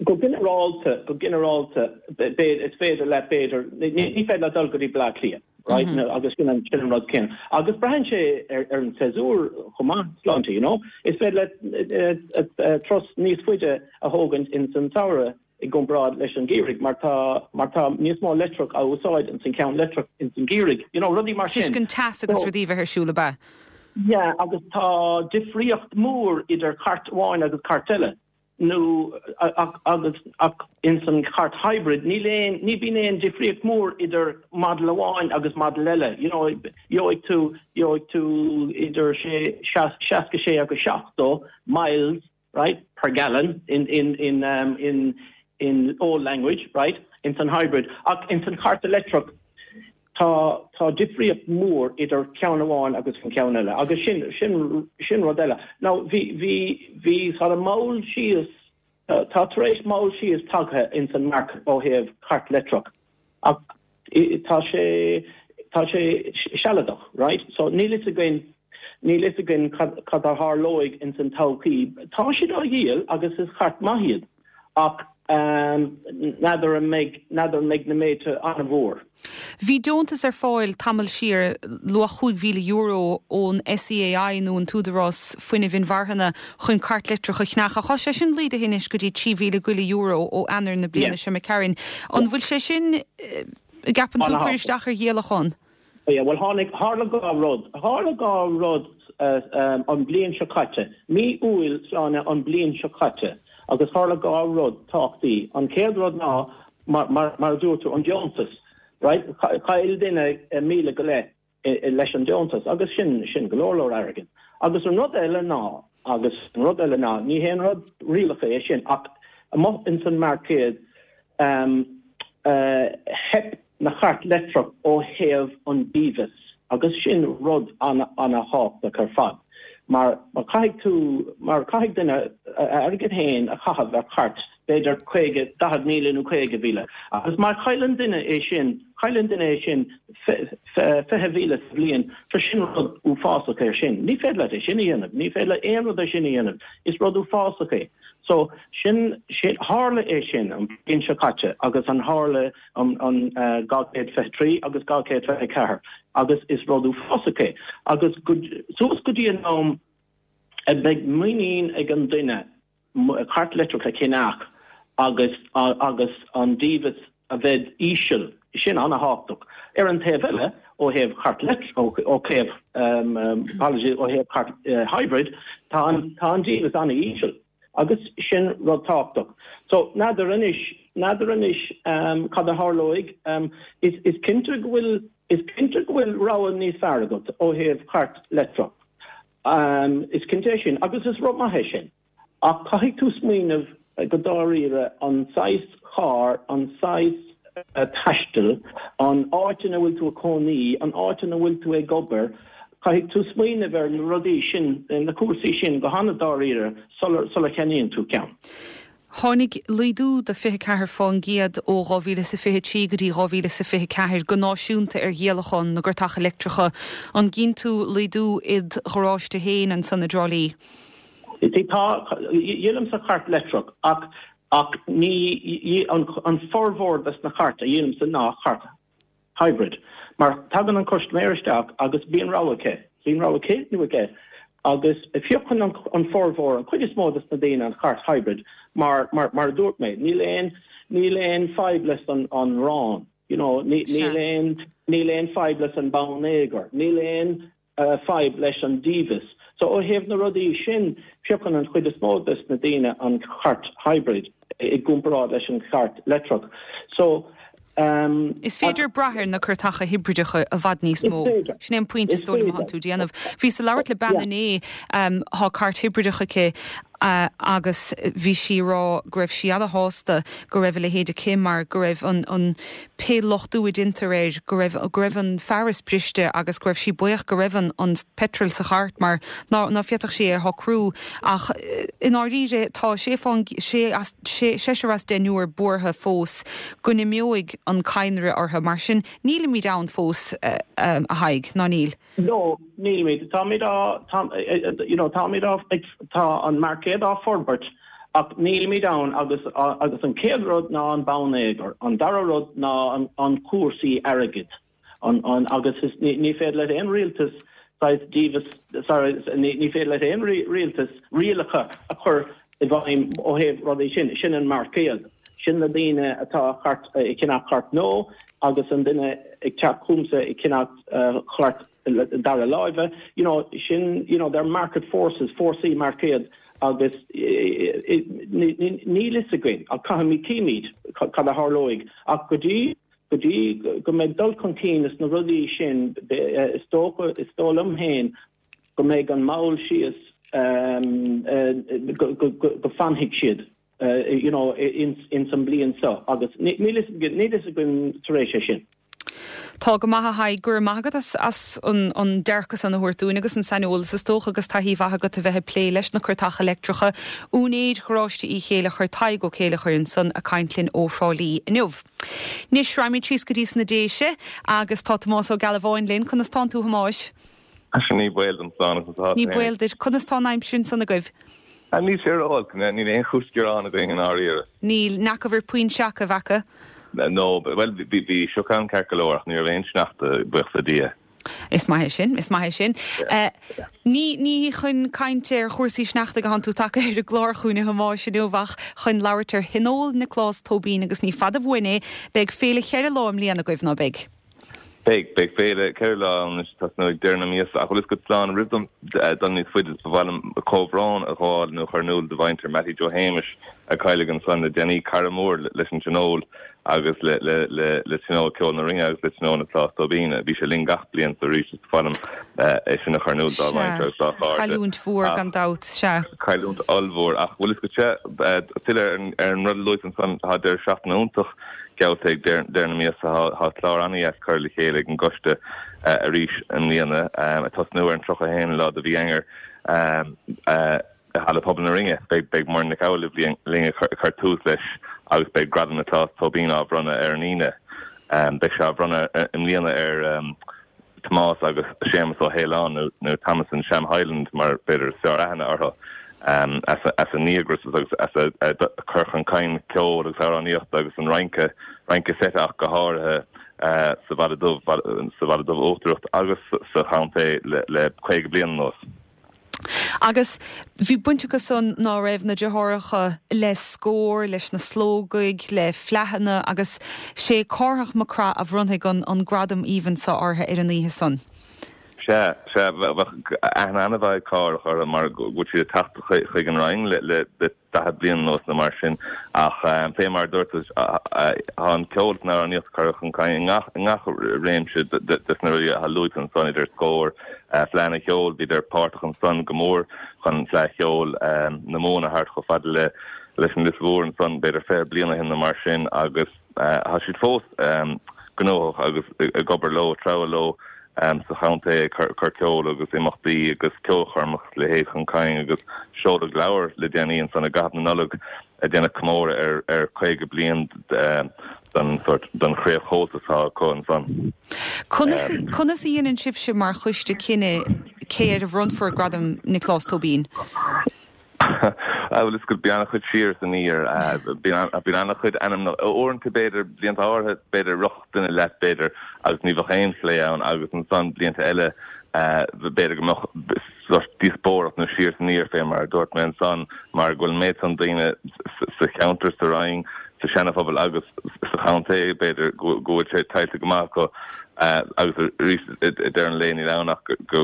Go ginearálta go ginearálta is féidir le b'fhéidir ní féidir le dul go dtí Bleá Cliath. Right? Mm -hmm. agus sin an sin an rud céanna. Agus braitheann sé ar, ar an séasúr chomh maith sláinte, you know? Is féidir le turas níos faide a thógaint in san samhradh i gcomparáid leis an geimhreadh mar tá mar tá níos mó leictreach á úsáid in san ceann leictreach in san geimhreadh. You know, rudaí mar sin. Toisc an teas agus rudaí bheith ar siúl ab ea. Yeah, agus tá difríocht mór idir cairt amháin agus cairt eile. nó agus ach in san chairt hybrid níl aon ní bhíonn aon difríocht mór idir model amháin agus model eile. You know, gheobhaidh tú gheobhaidh tú idir sé seasca sé agus seachtó miles right per gallon in in in um, in in old language right in san hybrid ach in san chairt electric tá tá difríocht mór idir ceann amháin agus an ceann eile agus sin sin sin rud eile. Now bhí bhí bhí sort of moll síos uh, tá tar éis moll síos tagtha in san marc ó thaobh cairt leictreach ach tá sé tá sé sealadach right so níl fhios againn níl fhios againn cad cad a tharlóidh in san todhchaí tá siad á dhíol agus is cairt maith iad ach um, n'fheadar an mbeidh n'fheadar an mbeidh na méide an-mhór. Bhí deontas ar fáil tamall siar luach chúig mhíle euro ón SEAI nó an tÚdarás Fuinnimh Inmharthana chun cairt leictreach a cheannach ach tá sé sin laghdaithe anois go dtí trí mhíle go leith euro ó Eanáir na bliana seo imigh tharainn. An bhfuil sé sin gceapann tú cur isteach ar dhíolachán? Yeah, well tháinig tharla dhá rud. Tharla dhá rud uh, um, an bliain seo caite. Mí Iúil sláine an bliain seo caite. agus tharla dhá rud tábhachtaí. An chéad rud ná mar, mar, mar dúirt tú an deontas. Right? Chaill duine míle go leith leis an deontas agus sin sin go leor leor airgid. Agus an rud eile ná agus an rud eile ná ní haon rud rialacha é sin ach amuigh in san marcéad um, uh, theip na chairt leictreach ó thaobh an deimhneas agus sin rud an an-thábhachtach ar fad. Mar mar caithfidh tú mar caithfidh duine airgead féin a chaitheamh ar chairt b'fhéidir caoga, daichead míle nó caoga mhíle. Agus má chailleann duine é sin, cailleann duine é sin fiche mhíle sa bhliain, sure sin rud uafásach é sin. Ní féidir leat é sin a dhéanamh, ní féidir leat aon rud é sin a dhéanamh, is rud uafásach é. So sin, sin, tharla é sin an bhliain seo caite agus an tharla an, an dhá chéad fiche trí agus dhá chéad fiche ceathair agus is rud uafásach é. Agus go, suas go dtí an am a mbeidh muinín ag an duine cairt leictreach a cheannach agus agus an dímheas a bheith íseal, sin an-thábhachtach. Ar an taobh eile, ó thaobh chairt leictreach, ó thaobh, apologies, ó thaobh cairt hybrid, tá an tá an dímheas an-íseal agus sin rud tábhachtach. So, n'fheadar anois, n'fheadar anois cad a tharlóidh. Is is cinnte go bhfuil, is cinnte go bhfuil rogha níos fearr agat ó thaobh cairt leictreach. Is cinnte é sin agus is rud maith é sin. Ach caithfidh tú smaoineamh go dáiríre an saghas carr, an saghas taistil, an áit ina bhfuil tú ag cónaí, an áit ina bhfuil tú ag obair, caithfidh tú smaoineamh ar na rudaí sin, na cúrsaí sin go han-dáiríre sula cheannaíonn tú ceann. Tháinig laghdú de fiche ceathair fán gcéad ó dhá mhíle is a fiche trí go dtí dhá mhíle is a fiche ceathair go náisiúnta ar dhíolachán na gcairteacha leictreacha. An gcíonn tú laghdú id gharáiste féin ansan i dTrá Lí? Tá, dhíolaimse cairt leictreach ach ach ní an an formhór des na cairt a dhíolaimse ná cairt hybrid. Mar tagann an custaiméir isteach agus bíonn rogha aici, bíonn rogha aici nó aige agus piocann an an formhór, an chuid is mó des na daoine an chairt hybrid mar mar mar a dúirt mé, níl aon níl aon fadhb leis an an rán, you know, ní níl aon níl aon fadhb leis an bonneagar, níl aon fadhb leis an dímheas. So ó thaobh na rudaí sin, piocann an chuid is mó des na daoine an chairt hybrid i gcomparáid leis an chairt leictreach. So um, Is féidir brath ar na cairteacha hibrideacha i bhfad níos mó. Sin é an pointe is dóigh liom atánn tú déanamh. Bhíos ag labhairt le bean inné, um, tá cairt hibrideach aici uh, agus bhí sí ag rá go raibh sí ana-shásta go raibh a leithéid aici mar go raibh an, an pé luchtú a deintear air, go raibh, go raibh an fearas briste agus go raibh sí buíoch go raibh an, an petrol sa chairt mar ná, ná féadfadh sí é a shocrú. Ach i ndáiríre tá sé fán, sé as, sé, seisear as deichniúr buartha fós go n-imeoidh an cadhnra orthu. Mar sin nílimid ann fós, a Thaidhg, ná níl? No, nílimid. Táimid á, tá, you know, táimid á, ag, tá an marcéad á forbairt ach nílimid ann agus, agus an chéad rud ná an bonneagar, an dara rud ná an, an cúrsaí airgid. An, an, agus is, ní, ní féidir le aon rialtas saghas dímheas, sorry, ní, ní féidir le aon rialtas rialacha a chur i bhfeidhm ó thaobh rudaí sin. Sin an marcéad. Sin na daoine atá cairt, ag ceannach cairt nua agus an duine ag teacht chugamsa ag ceannach cairt dara láimhe, you know, sin, you know, they're market forces, fórsaí marcéad agus níl fhios againn ach caithfimid címid cad a tharlóidh ach go dtí go dtí go mbeidh dul chun cinn is na rudaí sin is dócha is dóigh liom féin go mbeidh an mball síos go go go fanfaidh siad you know in in san bliain seo agus níl fhios againn tar éis é sin. Tá go maith a Thaidhg, go raibh maith agat as as an an dearcadh san a thabhairt dúinn agus an saineolas is dócha agus taithí mhaith agat a bheith ag plé leis na cairteacha leictreacha. Úinéir Gharáiste Uí Chéilleachair Tadhg Ó Céilleachair ansan ag caint linn ó Thrá Lí inniu. Anois raghaimid síos go dtí sna Déise agus tá Tomás Ó Gealbháin linn. Conas tánn tú a Thomáis? Ní baol dom slán agus atá Ní baol duit. Conas tá an aimsir ansan agaibh? Níl sé ró-olc, níl aon chúis gearáin againn i ndáiríre. Níl, n'fheaca puinn seaca a bheith acu? No, bhuel bhí bhí sioc ann ceart go leor ach ní raibh aon sneachta buíochas le Dia. Is maith é sin, is maith é sin. Ní ní chun caint ar chúrsaí sneachta atánn tú tagtha ar an gclár chugainn a Thomáis inniu ach chun labhairt ar Thionól Nioclás Tóibín agus ní fada uainn é, beidh féile cheithre lá i mbliana agaibh, ná beidh? Beidh, beidh féile ceithre lá ann anois ag tosnú ag deireadh na míosa ach bhfuil fhios agat Slán roimh dom dul níos faide ba mhaith liom comhbhrón a ghabháil nó a chur in iúl do mhuintir Mattie Joe Shéamais a cailleadh ansan le déanaí, cara mór leis an Tionól agus le le le le Tionól Ceoil na Rinne agus le Tionól Nioclás Tóibín. Bhí sé linn gach bliain so arís is ba mhaith liom é sin a chur in iúl dá mhuintir agus dá chairde. Cailliúint mhór gan dabht, sea. Cailliúint ollmhór ach bhfuil fhios agat filleadh ar an rud a luaigh ansan tá deireadh seachtaine iontach geallta ag deireadh na míosa. Tá clár an-dheas curtha le chéile ag an gcoiste arís i mbliana, ag tosnú ar an tríocha a haon lá de mhí Eanáir. I Halla Pobail na Rinne, beidh Muireann Nic Amhlaoibh linn ag cur tús leis agus beidh Gradam Nioclás Tóibín á bhronnadh ar an Aoine. Beidh sé á bhronnadh i mbliana ar Tomás agus Séamus Ó hAoláin, nó Thomas and Sham Hyland mar b'fhéidir is fearr aithne orthu, as a ndíograis agus as a cur chun cinn ceoil agus amhránaíochta agus an rince, rince seite ach go háirithe sa Bhaile Dubh, sa Bhaile Dubh Uachtarach agus sa chontae le caoga bliain anuas. Agus bhí baint acu san, ná raibh, na deartháireacha le Scór, leis na Slógaigh, le Fleadhanna agus sé Cárthach Mac Craith a bhronnfaidh an an gradam aoibhinn so orthu ar an oíche san. Sea, sea, bheadh aithne an-mhaith ag Cárthach orthu mar go bhfuil siad ag teacht chuig an Rinn le le daichead bliain anuas nó mar sin ach fé mar a dúirt tú tá an ceol is an amhránaíocht curtha chun cinn i ngach i ngach réimse des na rudaí atá luaite ansan idir Scór, Fleadhanna Cheoil, bhíodar páirteach ansan go mór chun Fleadh Cheoil na Mumhan a thabhairt chomh fada le leis an Lios Mhór ansan b'fhéidir fiche bliain ó shin nó mar sin agus tá siad fós gnóthach agus ag obair leo, ag treabhadh leo sa chontae ag cur ceol agus imeachtaí agus ceolchoirmeacha is a leithéid chun cinn agus seoladh leabhar le déanaí ansan i gcaitheamh na Nollag ag déanamh comóradh ar caoga bliain den sórt den chraobh Chomhaltas atá acu ansan. Conas conas a dhéanann sibhse mar choiste cinneadh cé air a bhronnfar Gradam Nioclás Tóibín? Bhuel, is go bíonn an-chuid siar is aniar. Bíonn an-chuid ainmneacha. Uaireanta, b'fhéidir, blianta áirithe, b'fhéidir, rithfeadh duine leat, b'fhéidir, agus ní bheadh aon phlé ann agus ansan blianta eile, b'fhéidir go mbeadh sórt díospóireacht nó siar is aniar fé mar a dúirt mé ansan, mar go bhfuil an méid san daoine sa cheantar, sa Rinn, sa Seana-Phobal agus sa chontae, b'fhéidir, go bhfuil sé tuillte go maith acu agus arís i ndeireadh an lae níl ann ach go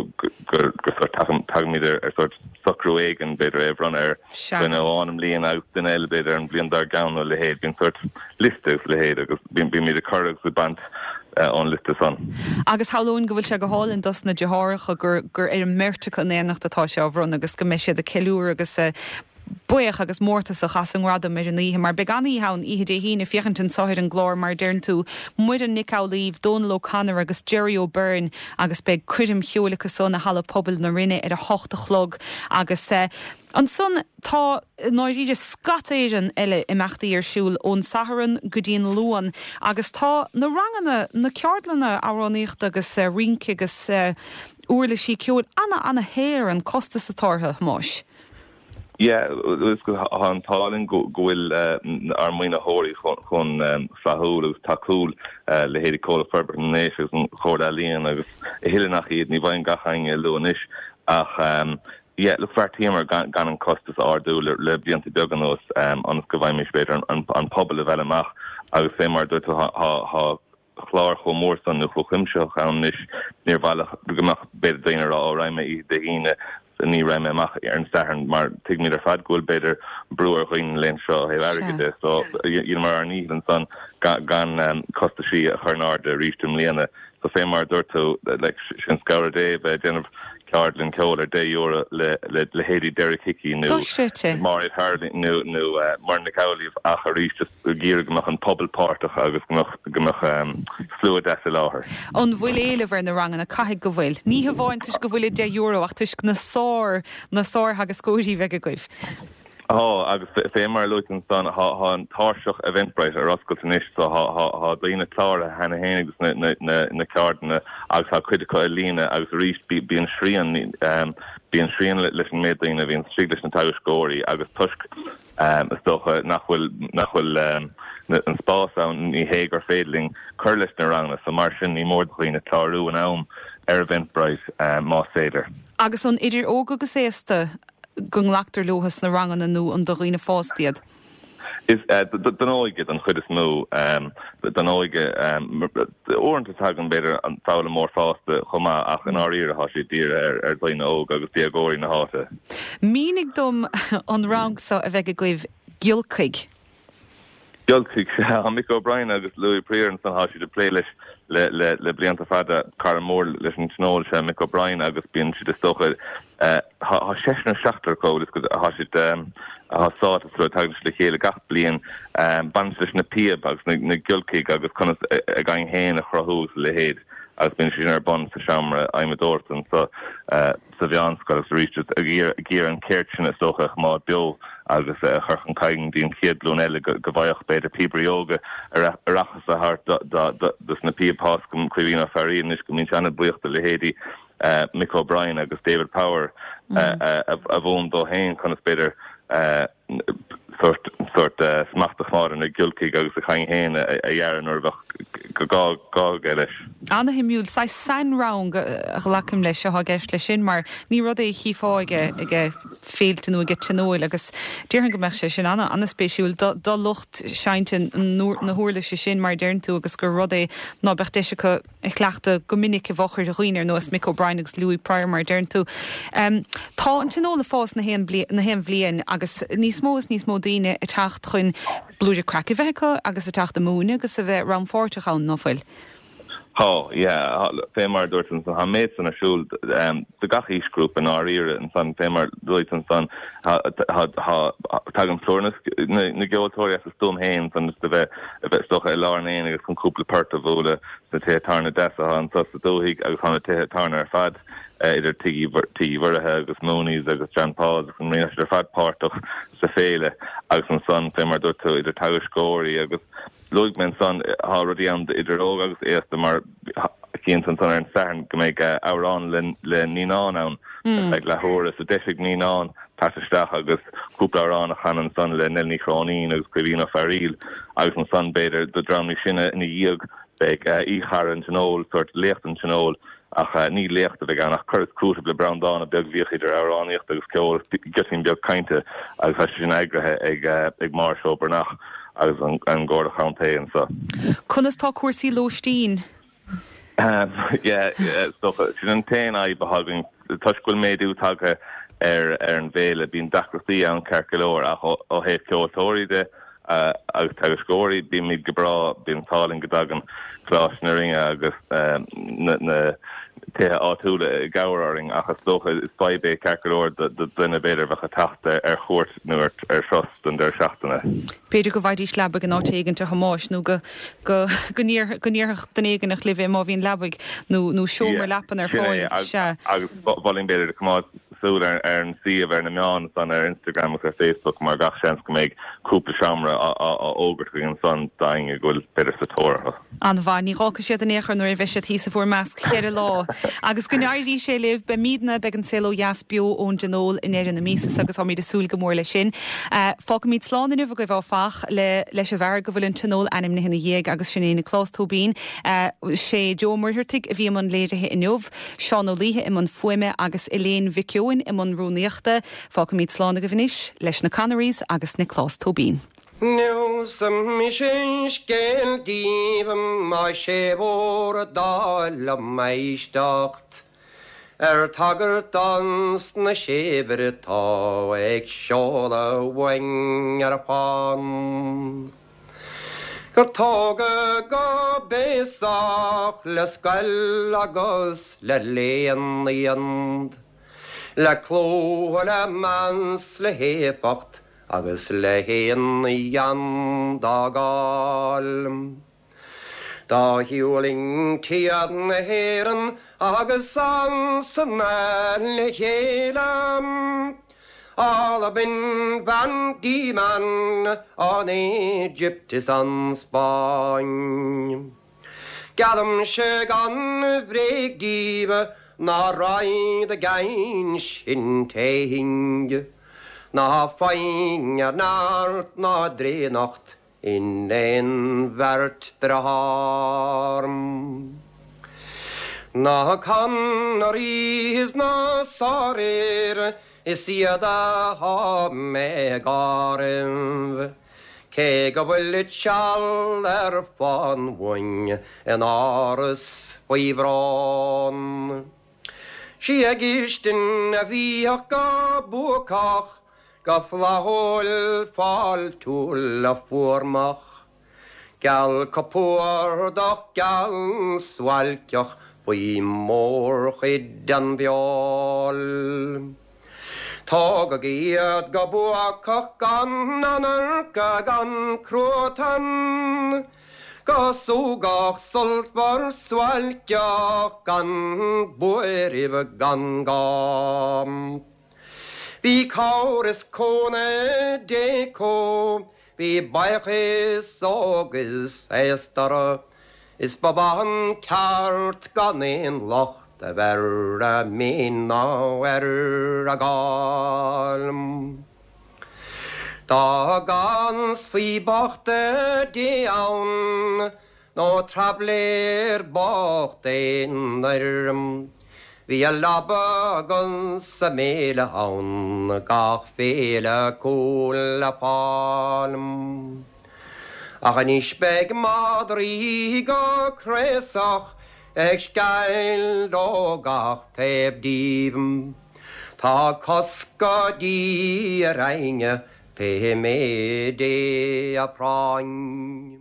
sórt tagaimid ar sórt socrú éigin, b'fhéidir é a bhronnadh ar dhuine amháin i mbliana agus duine eile b'fhéidir an bhliain dár gceann nó a leithéid. Bíonn sórt liosta agus a leithéid agus bímid ag cur agus ag baint ón liosta san. Agus shamhlóinn go bhfuil sé go hálainn dos na deartháireacha gur gur ar an mbeirt acu in éineacht atá sé á bhronnadh agus go mbeidh siad ag ceiliúradh agus buíoch agus mórtasach as an ngradam ar an oíche, mar beidh an-oíche ann oíche Dé hAoine, féachaint anso ar an gclár mar a deireann tú, Muireann Nic Amhlaoibh, Dónal O'Connor agus Gerry O'Beirne agus beidh coirm cheoil acu san i Halla Pobail na Rinne ar a hocht a chlog agus ansan tá i ndáiríre scata éigin eile imeachtaí ar siúl ón Satharn go dtí an Luan agus tá na ranganna, na ceardlanna amhránaíochta agus rince agus uirlisí ceoil ana ana shaor an costas atá orthu, a Thomáis. Yeah, tá an t-ádh linn go bhfuil ár maoinitheoirí chomh flaithiúil agus tacúil, leithéidí Comhlacht Forbartha na nDéise agus an Chomhairle Ealaíon agus a thuilleadh nach iad, ní bhfaighim gach éinne a lua anois ach yeah, look, bheartaíomar gan an costas a ardú le blianta beaga anuas ionas go bhfaighimís b'fhéidir an pobal a mhealladh amach agus fé mar a dúirt tú tá clár chomh mór san nó chomh cuimsitheach ann anois, níor mhaith leo go mbeadh b'fhéidir daoine ag rá ó raghaidh mé oíche Dé hAoine ní raghaidh mé amach ar an Satharn mar tuigimid ar fad go bhfuil b'fhéidir brú ar dhaoine na laethanta seo ó thaobh airgid de so dheineamar ár ndícheall ansan gan costaisí a chur in airde arís i mbliana so fé mar a dúirt tú like sin scabhar Dé bheith ag déanamh ceardlann ceoil ar deich euro le le leithéidí Derek Hickey nó Máiréad Harding nó nó Muireann Nic Amhlaoibh ach arís just ag iarraidh go mbeadh an pobal páirteach agus go mbeadh go mbeadh slua deas i láthair. An bhfuil éileamh ar na ranganna? Caithfidh go bhfuil. Ní hamháin toisc go bhfuil i deich euro ach toisc na sár na sártheagascóirí bheidh agaibh. Tá, agus fé mar a luaigh tú ansan, tá an tairseach Eventbrite ar oscailt anois so tá daoine cláraithe cheana féin agus na ceardlanna agus tá cuid acu ar líne agus arís bíonn srian bíonn srian leis an méid daoine a bhíonn istigh leis na teagascóirí agus toisc is dócha nach bhfuil nach bhfuil an spás ann ní hé gur féidir linn cur leis na ranganna so mar sin ní mór do dhaoine clárú in am ar Eventbrite más féidir. Agus an idir óg agus aosta go nglactar leo sna ranganna nó an do dhaoine fásta iad? Is don óige don chuid is mó, don óige. Uaireanta tagann b'fhéidir an foghlaimeoir fásta chomh maith ach i ndáiríre tá sé dírithe ar dhaoine óga agus déagóirí na háite. Mínigh dom an rang seo a bheidh agaibh, Giolcaigh. Giolcaigh, sea. Tá Mick O'Brien agus Louis Prior ansan, tá siad ag plé leis le blianta fada. Cara mór leis an Tionól is ea Mick O'Brien agus bíonn siad is dócha, tá seisear nó seachtar acu agus tá siad tá sáite sa rud, tagann siad le chéile gach bliain, baineann siad leis na píob agus na giolcaigh agus conas a gcaing féin a chruthú agus a leithéid. agus bíonn sin ar bun sa seomra adhmadóireachta anseo sa mheánscoil agus arís just ag iarraidh an ceird sin is dócha a choimeád beo agus a chur chun cinn go dtí an chéad ghlúin eile go bhfaigheadh b'fhéidir píobairí óga a rachas a thabhairt dos na píob tá a fhios agam Caoimhín Ó Fearraí anois go mbíonn sé an-bhuíoch do leithéidí Mick O'Brien agus David Power a mhúin dó féin conas b'fhéidir sort sort smacht a choimeád ar na giolcaigh agus a chaing féin a dhearadh nuair a bheadh gá gá aige leis. Ana-shuimiúil, saghas sainrang a ghlacaim leis atá i gceist leis sin mar ní rud é a chífeá ag ag féilte nó ag tionóil agus déarfainn go mbeadh sé sin ana ana-spéisiúil do do lucht seinnte na huirlise sin mar a deireann tú agus gur rud é ná beadh deis acu a chleachtadh go minic i bhfochair dhaoine ar nós Mick O'Brien agus Louis Pryor mar a deireann tú. Tá an tionól ag fás na haon na haon bhliain agus níos mó is níos mó daoine ag teacht chun blúire craic a bheith acu agus ag teacht ag múineadh agus a bheith rannpháirteach ann, ná fuil? Tá, yeah, fé mar a dúirt ansan, tá an méid san ar siúl do gach aoisghrúpa i ndáiríre ansan, fé mar a dúirt ansan, tagann plúr na gceoltóirí as a stuaim féin ansan just a bheith, a bheith is dócha i lár an aonaigh agus chun cúpla port a bhualadh sna tithe tábhairne deasa atá anso sa dúthaigh agus tá na tithe tábhairne ar fad idir Tigh Uí Mhuirithe agus Mooney's agus John Paul's agus an Marina, tá siad ar fad páirteach sa féile agus ansan fé mar a dúirt tú idir teagascóirí agus Luaigh mé ansan, tá rudaí ann idir óg agus aosta mar cinnte ansan ar an Satharn go mbeidh amhrán le naíonáin ann ar feadh leathuaire. So deis ag naíonáin teacht isteach agus cúpla amhrán a chanadh ansan le Nell Ní Chróinín agus Caoimhín Ó Fearaíl agus ansan b'fhéidir do dream níos sine ina dhiaidh beidh aoichara an Tionóil, sórt léacht an Tionóil Ach ní léacht a bheidh ann ach cur is cúiteamh le Breandán beag a bhíodh idir amhránaíocht agus ceol, giotín beag cainte agus tá sé sin eagraithe ag ag Máire Ó Breathnach agus an an Gharda Chontae anseo. Conas tá cúrsaí lóistín? Yeah, is dócha, sin an t-aon fhadhb atá againn toisc go bhfuil méadú tagtha ar ar an bhféile, bíonn deacrachtaí ann ceart go leor ach ó ó thaobh ceoltóirí de, agus teagascóirí, bímid go breá, bíonn an t-ádh linn go dtagann Coláiste na Rinne agus na tithe áitiúla i gcabhair orainn ach is dócha is fadhb é ceart go leor do dhuine b'fhéidir a bheadh ag teacht ar chuairt nó ar thuras don deireadh seachtaine. B'fhéidir go bhfaighidís leabaidh in áit éigin a Thomáis nó go go go ndéarfadh duine éigin libh é má bhíonn leabaidh nó nó seomra leapan ar fáil. Sea. Agus mholfainn b'fhéidir coimeád súil ar an suíomh ar na meáin ansan ar Instagram agus ar Facebook mar gach seans go mbeidh cúpla seomra á fhógairt againn ansan d'éinne go bhfuil b'fhéidir sa tóir orthu. An-mhaith. Ní dh'fhágfaidh siad in aon chor nuair a bheidh siad thíos i bhur measc cheithre lá. Agus go n-éirí sé libh, beimidne, beidh an Saol Ó Dheas beo ón dTionól i ndeireadh na míosa agus táimid ag súil go mór leis sin. Fágfaimid slán inniu agaibh áfach le leis an bhfear go bhfuil an Tionól ainmnithe ina dhiaidh agus sin é Nioclás Tóibín. Sé Joe Ó Muircheartaigh a bhí i mbun léirithe inniu, Seán Ó Laoithe i mbun fuaime agus Elaine Mhic Eoin i mbun rúnaíochta. Fágfaimid slán agaibh anois leis na Connerys agus Nioclás Tóibín. Neosfaidh mise scéal daoibh más é bhur dtoil liom éisteacht ar tagairt dos na saibhir atá ag seoladh uainn ar fán. Gur tógadh go béasach le scoil agus le léann iad, le clú le meas le héifeacht agus le haon ghean dá gcáil. Do thuirlingtí as na hÉireann agus Sasana le chéile, Albain, Van Diemen, an Éigipt is an Spáinn. Geallaimse gan bhréig daoibh ná raghaidh i gcaint sin téing, ná foighne ar neart ná daonnacht in aon bheirt dearthár. Na Conneries is na sárfhir is iad atá mé ag áireamh, cé go bhfuilid seal ar fán uainn in áras faoi bhrón. Sí a gcistin a bhíodh go buacach, go flaithiúil fáiltiúil fuarmach, geal compordach geal suáilceach faoi mhórchuid den bhfeoil. Tógadh iad go buacach gan anarca gan cruatan, Go súgach sultmhar suáilceach gan buaireamh gan gá. Bhí cabhair is cúnamh Dé acu, bhí buíochas óg is aosta orthu, is ba mhaith an ceart gan aon locht a bheith ar a mhéin ná ar a gcáil. Dá gcansfaí bochta Dé ann, nó traibléir bocht aonair, bhí a leaba agus a mbéile ann gach féile acu le fáil. Ach anois beidh madraí go craosach ag sceall ó gach taobh díobh. Tá cosc á dí ar éinne pé méid é a phráinn.